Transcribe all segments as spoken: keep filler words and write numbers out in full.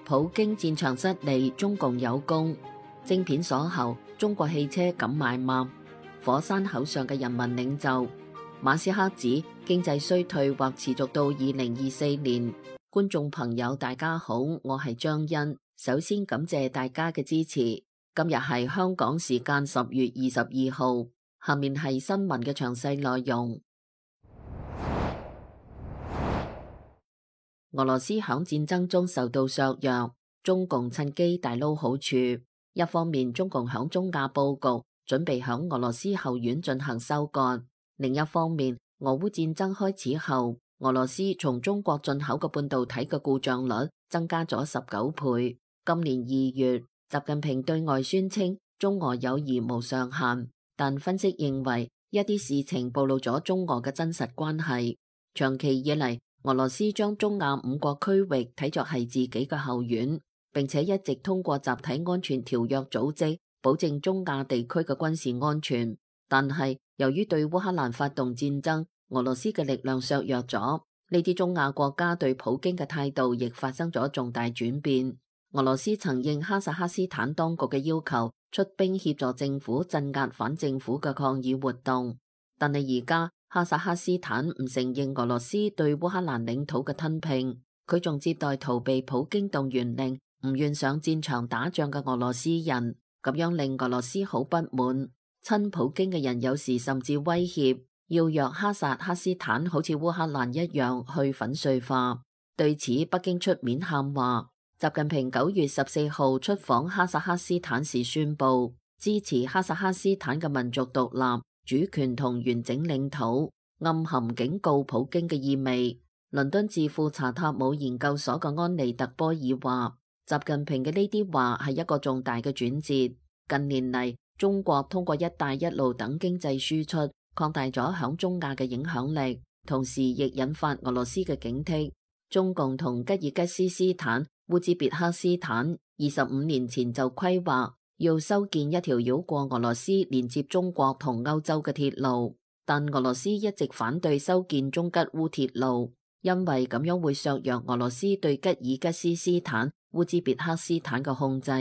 普京戰場失利，中共有功。晶片鎖喉，中國汽車敢買嗎？火山口上嘅人民領袖馬斯克指經濟衰退或持續到二零二四年。觀眾朋友大家好，我係張欣，首先感謝大家嘅支持。今日係香港時間十月二十二號，下面係新聞嘅詳細內容。俄羅斯響戰爭中受到削弱，中共趁機大撈好處。一方面，中共響中亞佈局，準備響俄羅斯後院進行收割；另一方面，俄烏戰爭開始後，俄羅斯從中國進口嘅半導體嘅故障率增加咗十九倍。今年二月，習近平對外宣稱中俄友誼無上限，但分析認為一啲事情暴露咗中俄嘅真實關係。長期以嚟，俄羅斯將中亞五國區域睇作係自己嘅後院，並且一直通過集體安全條約組織保證中亞地區嘅軍事安全。但係由於對烏克蘭發動戰爭，俄羅斯嘅力量削弱咗，呢啲中亞國家對普京嘅態度亦發生咗重大轉變。俄羅斯曾應哈薩克斯坦當局嘅要求，出兵協助政府鎮壓反政府嘅抗議活動，但係而家哈薩克斯坦唔承認俄羅斯對烏克蘭領土嘅吞併，佢仲接待逃避普京動員令、唔願上戰場打仗嘅俄羅斯人，咁樣令俄羅斯好不滿。親普京嘅人有時甚至威脅要讓哈薩克斯坦好似烏克蘭一樣去粉碎化。對此，北京出面喊話。習近平九月十四號出訪哈薩克斯坦時宣布支持哈薩克斯坦嘅民族獨立、主權同完整領土，暗含警告普京嘅意味。倫敦智庫查塔姆研究所嘅安妮特波爾話，習近平嘅呢啲話係一個重大嘅轉折。近年嚟，中國通過一帶一路等經濟輸出，擴大咗響中亞嘅影響力，同時亦引發俄羅斯嘅警惕。中共同吉爾吉斯斯坦、烏茲別克斯坦二十五年前就規劃要修建一條繞過俄羅斯連接中國同歐洲嘅鐵路，但俄羅斯一直反對修建中吉烏鐵路，因為咁樣會削弱俄羅斯對吉爾吉斯斯坦、烏茲別克斯坦嘅控制。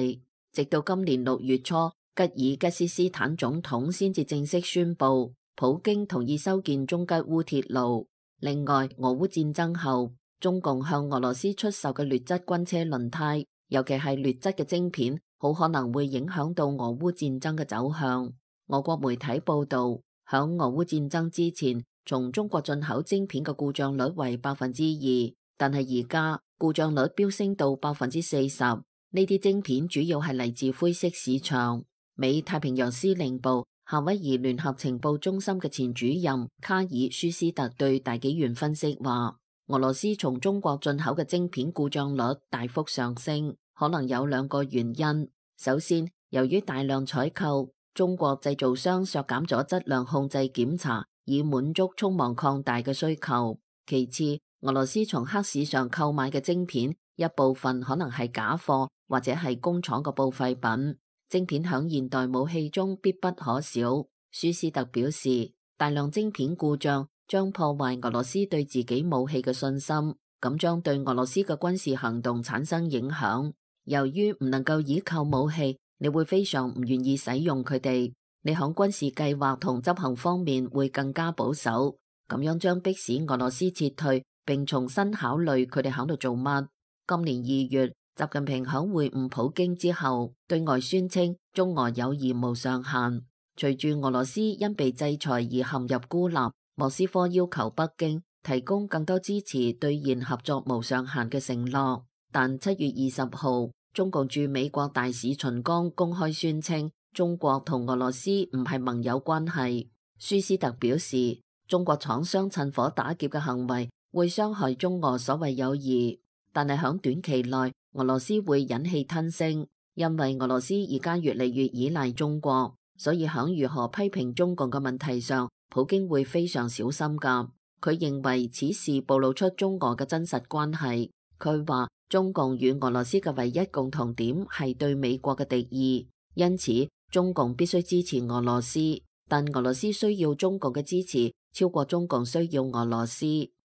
直到今年六月初，吉爾吉斯斯坦總統先至正式宣布普京同意修建中吉烏鐵路。另外，俄烏戰爭後，中共向俄羅斯出售嘅劣質軍車輪胎，尤其係劣質嘅晶片，好可能會影響到俄烏戰爭嘅走向。俄國媒體報道，響俄烏戰爭之前，從中國進口晶片嘅故障率為百分之二，但係而家故障率飆升到百分之四十。呢啲晶片主要係嚟自灰色市場。美太平洋司令部夏威夷聯合情報中心嘅前主任卡爾舒斯特對大紀元分析話，俄羅斯從中國進口嘅晶片故障率大幅上升，可能有兩個原因。首先，由於大量採購，中國製造商削減咗質量控制檢查，以滿足匆忙擴大嘅需求。其次，俄羅斯從黑市上購買嘅晶片，一部分可能係假貨或者係工廠嘅報廢品。晶片響現代武器中必不可少。舒斯特表示，大量晶片故障將破壞俄羅斯對自己武器嘅信心，咁將對俄羅斯嘅軍事行動產生影響。由於唔能夠依靠武器，你會非常唔願意使用佢哋，你響軍事計劃同執行方面會更加保守，咁樣將迫使俄羅斯撤退，並重新考慮佢哋響度做乜。今年二月，習近平響會晤普京之後，對外宣稱中俄友誼無上限。隨住俄羅斯因被制裁而陷入孤立，莫斯科要求北京提供更多支持，兌現合作無上限嘅承諾。但七月二十號，中共駐美國大使秦剛公開宣稱，中國同俄羅斯唔係盟友關係。舒斯特表示，中國廠商趁火打劫嘅行為會傷害中俄所謂友誼，但係響短期內，俄羅斯會忍氣吞聲，因為俄羅斯而家越嚟越依賴中國，所以響如何批評中共嘅問題上，普京會非常小心㗎。佢認為此事暴露出中俄嘅真實關係。佢話中共與俄羅斯嘅唯一共同點係對美國嘅敵意，因此中共必須支持俄羅斯，但俄羅斯需要中共嘅支持超過中共需要俄羅斯。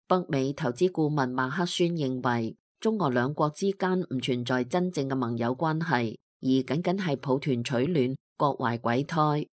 北美投資顧問馬克宣認為，中俄兩國之間唔存在真正嘅盟友關係，而僅僅係抱團取暖、各懷鬼胎。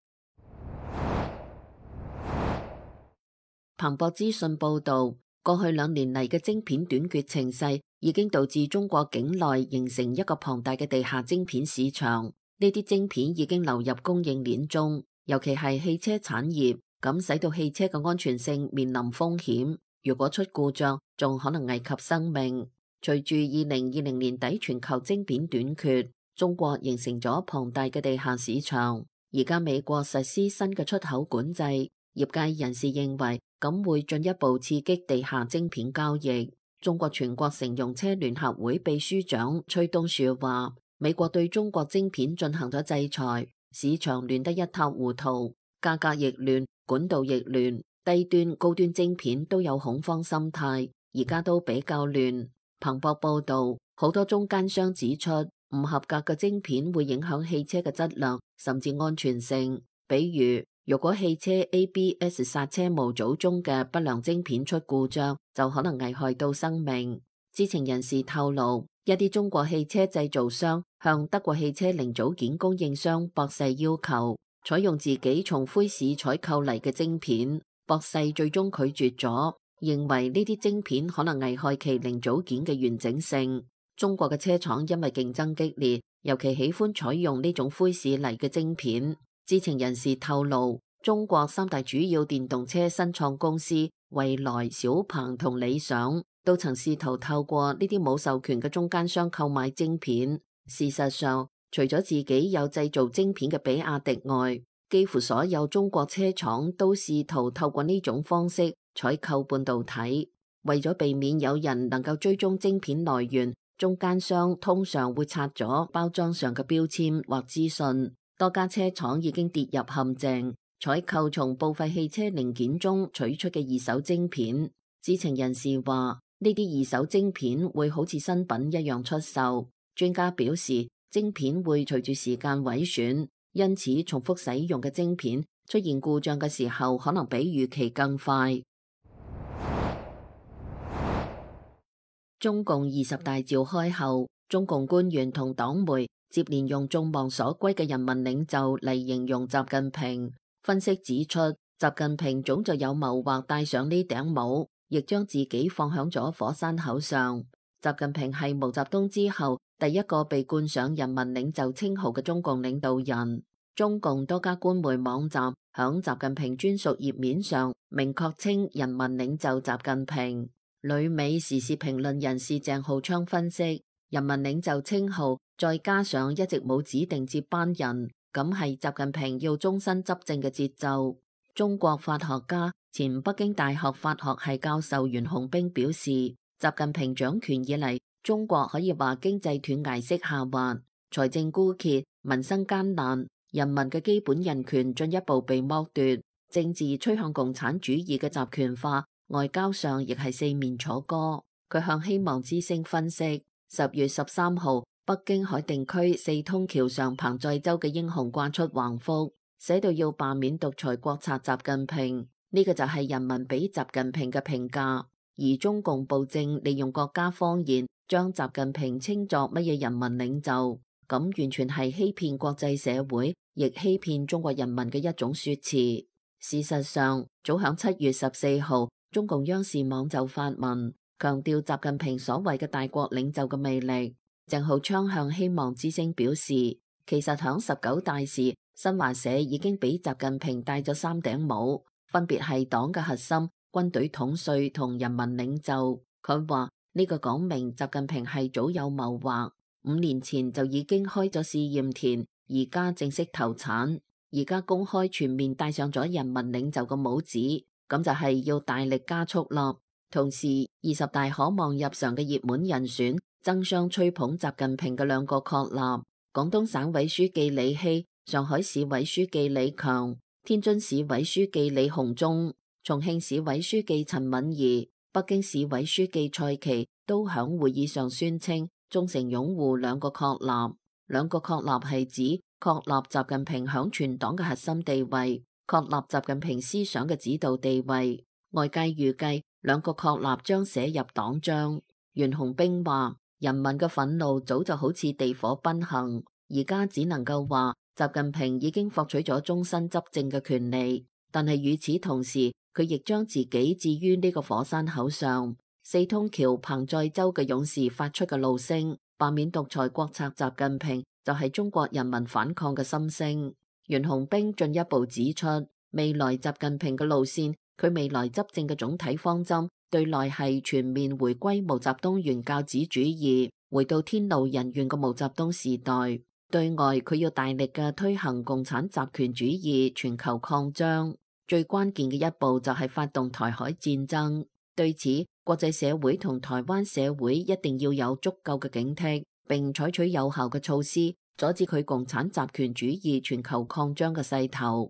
彭博資訊報導，過去兩年嚟嘅晶片短缺情勢已經導致中國境內形成一個龐大嘅地下晶片市場。呢啲晶片已經流入供應鏈中，尤其係汽車產業，咁使到汽車嘅安全性面臨風險。如果出故障，仲可能危及生命。隨住二零二零年底全球晶片短缺，中國形成咗龐大嘅地下市場。而家美國實施新嘅出口管制，業界人士認為咁會進一步刺激地下晶片交易。中國全國乘用車聯合會秘書長崔東樹話，美國對中國晶片進行咗制裁，市場亂得一塌糊塗，價格亦亂，管道亦亂，低端高端晶片都有恐慌心態，而家都比較亂。彭博報道，好多中間商指出，唔合格嘅晶片會影響汽車嘅質量，甚至安全性。比如，如果汽車 A B S 剎車模組中嘅不良晶片出故障，就可能危害到生命。知情人士透露，一啲中國汽車製造商向德國汽車零組件供應商博世要求採用自己從灰市採購嚟嘅晶片，博世最終拒絕咗，認為呢啲晶片可能危害其零組件嘅完整性。中國嘅車廠因為競爭激烈，尤其喜歡採用呢種灰市嚟嘅晶片。知情人士透露，中國三大主要電動車新創公司蔚來、小鵬同理想都曾試圖透過呢啲冇授權嘅中間商購買晶片。事實上，除咗自己有製造晶片嘅比亞迪外，幾乎所有中國車廠都試圖透過呢種方式採購半導體。為咗避免有人能夠追蹤晶片來源，中間商通常會拆咗包裝上嘅標籤或資訊。多家車廠已經跌入陷阱，採購從報廢汽車零件中取出嘅二手晶片。知情人士話，呢啲二手晶片會好似新品一樣出售。專家表示，晶片會隨住時間毀損，因此重複使用嘅晶片出現故障嘅時候，可能比預期更快。中共二十大召開後，中共官員同黨媒接連用眾望所歸嘅人民領袖嚟形容習近平。分析指出，習近平早就有謀劃戴上呢頂帽，亦將自己放響咗火山口上。習近平係毛澤東之後第一個被冠上人民領袖稱號嘅中共領導人。中共多家官媒網站響習近平專屬頁面上明確稱人民領袖習近平。旅美時事評論人士鄭浩昌分析，人民領袖稱號再加上一直冇指定接班人，咁係習近平要終身執政嘅節奏。中國法學家、前北京大學法學系教授袁洪兵表示，習近平掌權以嚟，中國可以話經濟斷崖式下滑，財政枯竭，民生艱難，人民嘅基本人權進一步被剝奪，政治趨向共產主義嘅集權化，外交上亦係四面楚歌。佢向希望之聲分析，十月十三號，北京海淀區四通橋上彭載舟嘅英雄掛出橫幅，寫到要罷免獨裁國賊習近平。呢、這個就係人民俾習近平嘅評價。而中共暴政利用國家謊言將習近平稱作乜嘢人民領袖，咁完全係欺騙國際社會，亦欺騙中國人民嘅一種說辭。事實上，早響七月十四號，中共央視網就發文強調習近平所謂嘅大國領袖嘅魅力。鄭浩昌向希望之聲表示，其實響十九大時，新華社已經俾習近平戴咗三頂帽，分別係黨嘅核心、軍隊統帥同人民領袖。佢話呢個講明習近平係早有謀劃，五年前就已經開咗試驗田，而家正式投產，而家公開全面戴上咗人民領袖嘅帽子，咁就係要大力加速啦。同時，二十大可望入常嘅熱門人選爭相吹捧習近平嘅兩個確立：廣東省委書記李希、上海市委書記李強、天津市委書記李鴻忠、重慶市委書記陳敏儀、北京市委書記蔡奇都響會議上宣稱忠誠擁護兩個確立。兩個確立係指確立習近平響全黨嘅核心地位，確立習近平思想嘅指導地位。外界預計兩個確立將寫入黨章。袁洪兵話：人民嘅憤怒早就好似地火奔行，而家只能夠話習近平已經獲取咗終身執政嘅權利，但係與此同時，佢亦將自己置於呢個火山口上。四通橋彭載舟嘅勇士發出嘅怒聲，罷免獨裁國策習近平就係中國人民反抗嘅心聲。袁洪兵進一步指出，未來習近平嘅路線，佢未來執政嘅總體方針，對內係全面回歸毛澤東原教旨主義，回到天怒人怨嘅毛澤東時代；對外佢要大力嘅推行共產集權主義全球擴張，最關鍵嘅一步就係發動台海戰爭。對此，國際社會同台灣社會一定要有足夠嘅警惕，並採取有效嘅措施，阻止佢共產集權主義全球擴張嘅勢頭。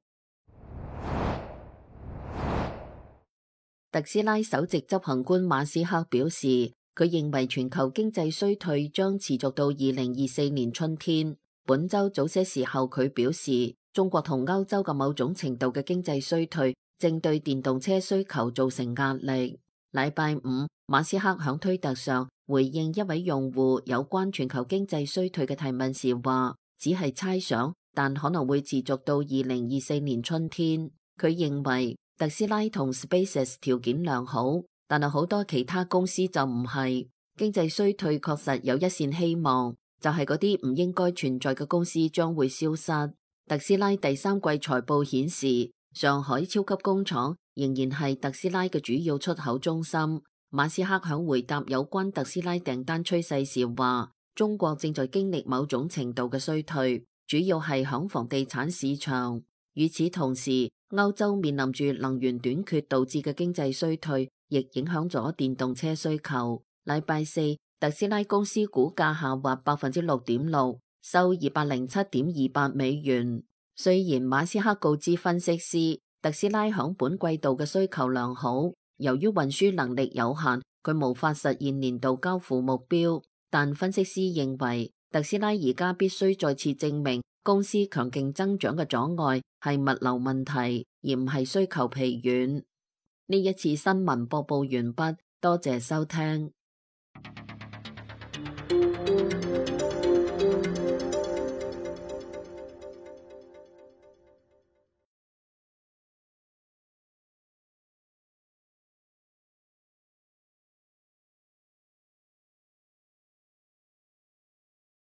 特斯拉首席執行官馬斯克表示，佢認為全球經濟衰退將持續到二零二四年春天。本週早些時候，佢表示，中國同歐洲嘅某種程度嘅經濟衰退正對電動車需求造成壓力。禮拜五，馬斯克響推特上回應一位用戶有關全球經濟衰退嘅提問時話，只係猜想，但可能會持續到二零二四年春天。佢認為特斯拉同 SpaceX 條件良好，但係好多其他公司就唔係。經濟衰退確實有一線希望，就係嗰啲唔應該存在嘅公司將會消失。特斯拉第三季財報顯示，上海超級工廠仍然係特斯拉嘅主要出口中心。馬斯克響回答有關特斯拉訂單趨勢時話，中國正在經歷某種程度嘅衰退，主要係響房地產市場。與此同時，歐洲面臨住能源短缺導致嘅經濟衰退，亦影響咗電動車需求。禮拜四，特斯拉公司股價下滑百分之六點六，收二百零七點二八美元。雖然馬斯克告知分析師，特斯拉響本季度嘅需求良好，由於運輸能力有限，佢無法實現年度交付目標。但分析師認為，特斯拉而家必須再次證明公司強勁增長嘅阻礙係物流問題，而唔係需求疲軟。呢一次新聞播報完畢，多謝收聽。